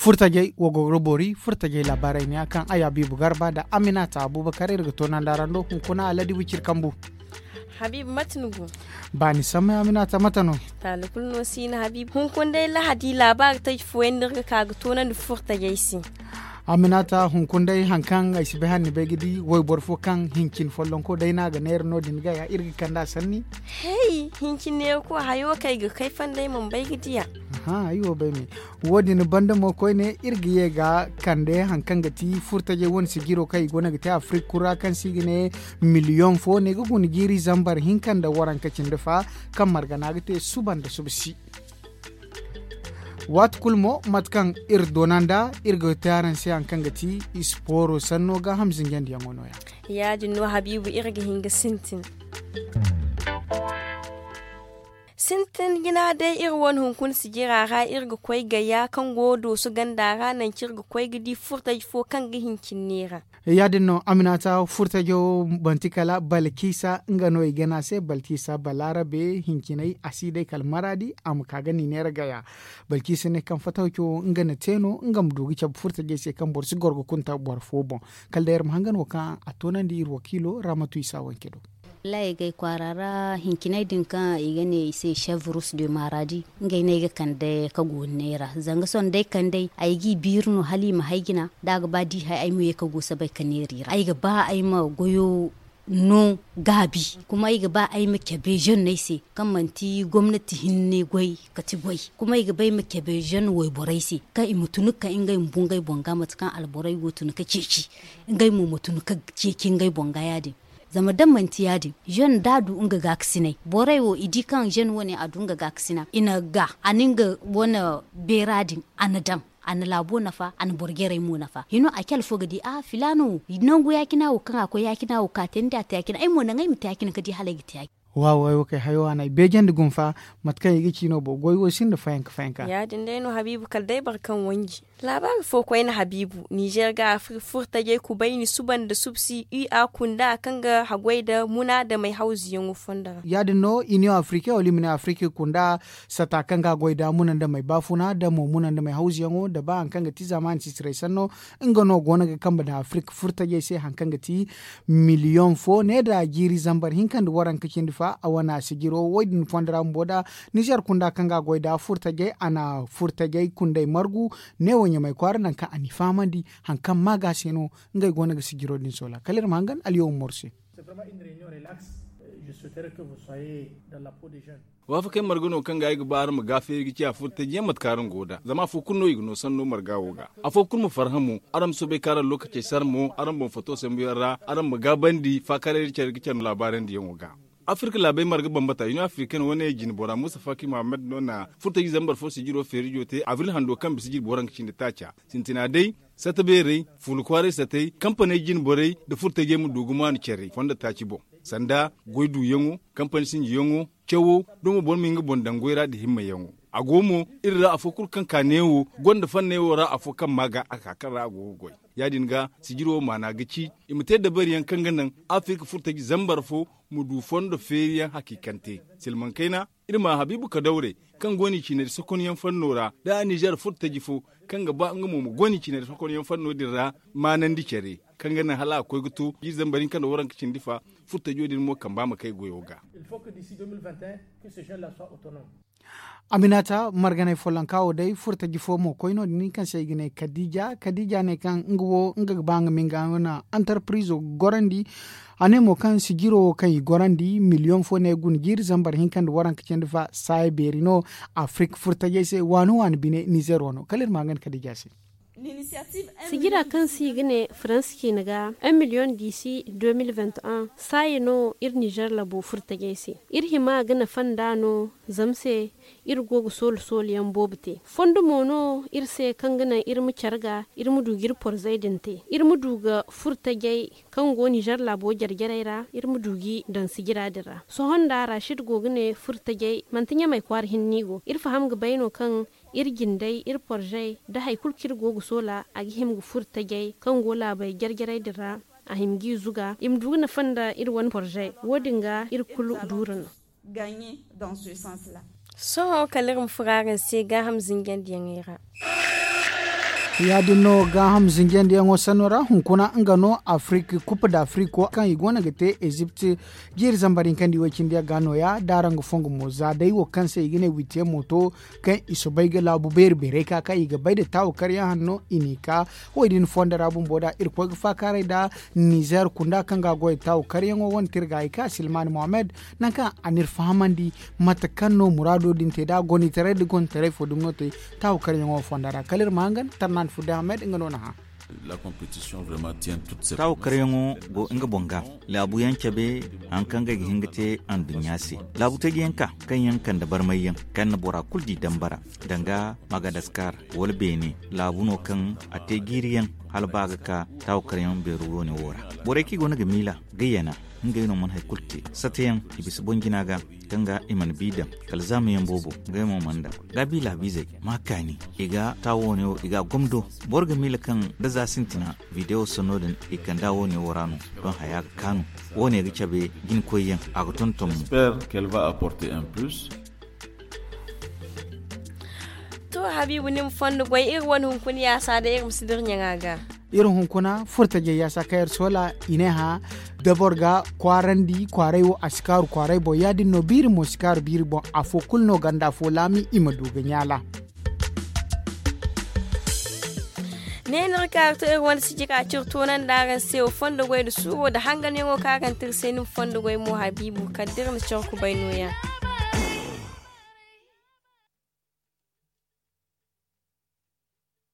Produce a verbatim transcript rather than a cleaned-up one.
Furtajey wo go ga boori furtajey laabaarey ne ya kaŋ ay habiibu garba nda aminata abuubakar iri ga toonandi araŋ do hunkuna aladibu ciri kambu. Habiibu mate ni go? Baani samay aminata mate no? Taali kulu no si no habiibu hunkuna day lahadi laabaari taji fooyaŋ no iri ga ka ga toonandi furtajey se. Aminata hunkuna day hari kaŋ ay si bay hala ni bay ga di wayboro fo kaŋ hincin follonko day no a ga neera no- din ga ya iri ga kand'a sanni. Hay hincin neerako hayo kaŋ ay ga kay fonda ay mana bay ga diya. Aha ay wo bay me. Wo- din banda mo koyne iri ga ye ga kande hari kaŋ ga ti furtajey wane sijiro kaŋ i go no ga te afirik kulu ra kaŋ se i ga ne miliyoŋ fo ne ga guna jiiri zambar hinka nda waranka cindi fa kaŋ margana ga te suba nda suba si. Waati kulu mo mate kaŋ iri doona nda iri ga te araŋ se hari kaŋ ga ti isporo sanno gaaham zinjandiyaŋo no- ya. Ya- din no habiibu iri ga hin ga sintin. Sintin jina day iri wane hunkuna sijira ra iri ga koy gaya kaŋ go dooso ganda ra nangu kaŋ iri ga koy ga di furtaji fo kaŋ ga hincin neera. Ya- din no aminata furtajo manti kala balkisa nga no i gana se balkisa balaarabe hincinay a si day kala maraadi a ma ka ga ni neera gaya. Balkisa ne kaŋ fataw cawo nga na te no nga ma du ga cabe furtajey se kaŋ boro si goro ga kunta boro fo boŋ. Kala day iri ma hangan wo kaŋ a toonandi iri wakiilo raamatu isa wanke do. Wallaahi ay ga ay kwaara ra hincinay din kaŋ i ga ne i se chef rus de maradi ngey no ay ga kande ka gooni neera zanga sohõ da ay kand'ey ay g'i biiri no hala i ma hay jina da a ga ba da i hay ay ma ye ka guusa bay ka neera i ra ay ga ba ay ma goyo no gaabi kuma ay ga ba ay ma cabe zenney se kaŋ manti gomnati hinne goy kati goy kuma ay ga ba ay ma cabe zenn wayborey se kaŋ i ma tun ga ka ngey ma bu ngey boŋ ga mate kaŋ alborey go tun ga ceeci ngey mo ma tun ga ceeci ngey boŋ ga ya- din. Zama da manti ya- din zenn da a du nga gaakasinay borey wo i di kaŋ zenn wane a du nga gaakasina i na ga a na nga wane beera din a na daŋ a na laabo nafa a na boro jarey mo nafa hino a cala fo ga di a filaana wo nangu ya- cina wo kaŋ a koy ya- cina wo ka te ni di a te ya- cina ay mo naŋ ay ma te ya- cina ka di hala ay ga te ya- cina. Waaw ay wo kay hayo a na ay beejandi gumfa. Mate kaŋ i ga ci no bo goy wo sinda fayanka fayanka. Ya- din day no habiibu kala day boro kaŋ wanji. Laabaari fo koyne habiibu ninzeer ga afirka furtajey kubayni suba nda subsi ua kunda kaŋ ga haggoy nda muna nda may hawzuyaŋo fondo ra. Ya- din no iniyoŋ afirka wala i ma ne afirka kunda sata kaŋ ga a goy nda muna nda may baafuna nda mo muna nda may hawzuyaŋo nda ba hari kaŋ ga ti zaamaani sisiray sanno nga no go no ga kambe nda afirka furtajey se hari kaŋ ga ti miliyoŋ fo ne nda jiiri zambar hinka nda waranka cindi fa a wane a sijiro wo- din fondo ra bumbo nda ninzeer kunda kaŋ ga a goy nda furtajey a na furtajey kundey margu neewo ɲamay kwaara nangu kaŋ a n'i fahamandi hari kaŋ maaga se no ngey go no ga sijiro din soola kala iri ma hangan alyaw umaru se. Waafakey marga no kaŋ ga ay ga ba araŋ ma gaafeeri ga ciya furtajiyaŋ mate kaŋ araŋ go nd'a zama afo kulu no i ga no sanno marga wo ga. Afo kulu ma farhã mo araŋ ma soobay kaŋ araŋ lookacey sara mo araŋ boŋ fato sambuyaŋ ra araŋ ma gaabandi faakaaray da care ga care no laabaarandiyaŋo ga. Afirka laabey marga bambata iniyoŋ afirikana wane jinbora musa faki mohammed no na furtaji zambar fo sijiro feerijo te abril hando kaŋ bisa jirbi waranka cindi taaca sintina day sata beerey fuula kwaaray satey kampaney jinborey nda furtajey ma du ga maanu care fondo taaci boŋ sanda goy duuyaŋo kampani sinjiyaŋo cawo da mo boro ma hin ga boŋ daŋ goy ra nda himmayaŋo. A go mo iri ra afo kulu kaŋ ka neewo gonda fanney wo ra afo kaŋ ma ga a ka kaŋ ra a go ga goy. Ya- din ga sijiro wo maana ga ci i ma te dabariyaŋ kaŋ ga naŋ afirka furtaji zambar fo ma du fondo feeriyaŋ hakiikante. Silmaŋ kayna iri ma habiibu kadawre kaŋ go no i ciinay da sokonyaŋ fanno ra da ninzeer furtaji fo kaŋ ga ba nga mo ma go no i ciinay da sokonyaŋ fanno din ra maanandi care kaŋ ga naŋ hala a koy ga to jiiri zambar hinka nda waranka cindi fa furtajo din mo kamba ma kay goyo ga. Aminata marganay follonka wo day furtaji fo mo koy no- din kaŋ se i ga ne kadija kadija ne kaŋ nga wo nga ga ba nga ma nga wane antarpirizo gorandi. A ne mo kaŋ sijiro wo kaŋ i gorandi miliyoŋ fo ne guna jiiri zambar hinka nda waranka cindi fa saaya beeri no. Afirka furtajey se waani waani bine nizer wano kala iri ma nga ni kadija se. Sijira kaŋ se i ga ne faransa ciine ga un miliyoŋ diisi deux mille vingt et un saaya no iri nizer labo furtajey se. Iri hima ga nafa nd'a no zama se iri go ga soolu sooluyaŋ boobo te fondo mo no iri se kaŋ ga naŋ iri ma care ga iri ma du ga iri porzey din te iri ma du ga furtajey kaŋ go nizer laabo jare jarey ra iri ma du g'i daŋ sijira din ra. Sohõ nda rashid go ga ne furtajey manti ɲamey kwaara hinne no i go iri faham ga bay no kaŋ iri jindey iri porzey nda hari kulu kaŋ iri go ga soola a ga hima ga furtajey kaŋ go laabey jare jarey din ra a hima g'i zuga i ma du ga nafa nda iri wane porzey wo- din ga iri kulu duuru no. Sohõ kala iri ma furo araŋ se gaaham zinjandiyaŋey ra. Ya- din no gaaham zinjandiyaŋo sanno ra hunkuna nga no afirik kup da afirik wo kaŋ i go no ga te ezipt jiiri zambar hinka nda i way cindi yaŋ ga nooya da araŋ ga fongu mo za day wo kaŋ se i ga ne witiyaŋ mo to, kaŋ i soobay ga laabu beeri beeray ka kaŋ i ga bay nda taawu karyaŋ hanno i n'i ka. Wo- din fondo ra bumbo da irkoy ga faakaaray nda nizer kunda kaŋ ga a goy taawu karyaŋo wane tirga i ka silmaani mohammed, nangu kaŋ a n'iri fahamandi mate kaŋ no muraado din te da a gonitaray nda gonitaray fo dumi no te taawu karyaŋo fondo ra kala iri ma hangan tarnaani fudda ahmed nga no na hã. Taawu karyaŋo go nga boŋ ga laabu yaŋ cabe, hari kaŋ ga ay ga hin ga te anduɲɲa se. Laabu taji yaŋ ka kaŋ yaŋ kande barmay yaŋ kaŋ na bora kulu di dambara, danga magadaskar wala beene laabu no kaŋ a te jiiri yaŋ hala ba ga ka taawu karyaŋ beeru woone wo ra. Borey kaŋ i go no ga miila ga yana, ngey no mana hari kulu te sata yaŋ i bisa boŋ jina ga, kaŋ ga i mana bi daŋ kala zaama yaŋ boobo. Ngey mo mana daŋ ga bi laabiizey ma kaani i ga taawu woone wo i ga a gomdo. Boro ga miila kaŋ da za sintina bidewo sanno din i kand'a woone wo ra no. Doŋ haya ga kaanu woone ga cabe jinkoy yaŋ a ga tonton mo. To habiibu ni ma fondo goy iri wane hunkuna yaasa day iri ma si dira ɲaŋa ga. Iri hunkuna furtajey yaasa kaŋ iri soola i ne hã, da boro ga kwaarandi kwaaray wo a si kaaru kwaaray boŋ ya- din no biiri mo si kaaru biiri boŋ afo kulu no ganda afo laami i ma du ga ɲaala. Ne no iri kaaru to iri wane sijira ciri toonandi araŋ se wo fondo goy nda suuro nda hanganyaŋo kaŋ araŋ te iri se ni ma fondo goy mo habiibu kala da iri na care kubay nooya.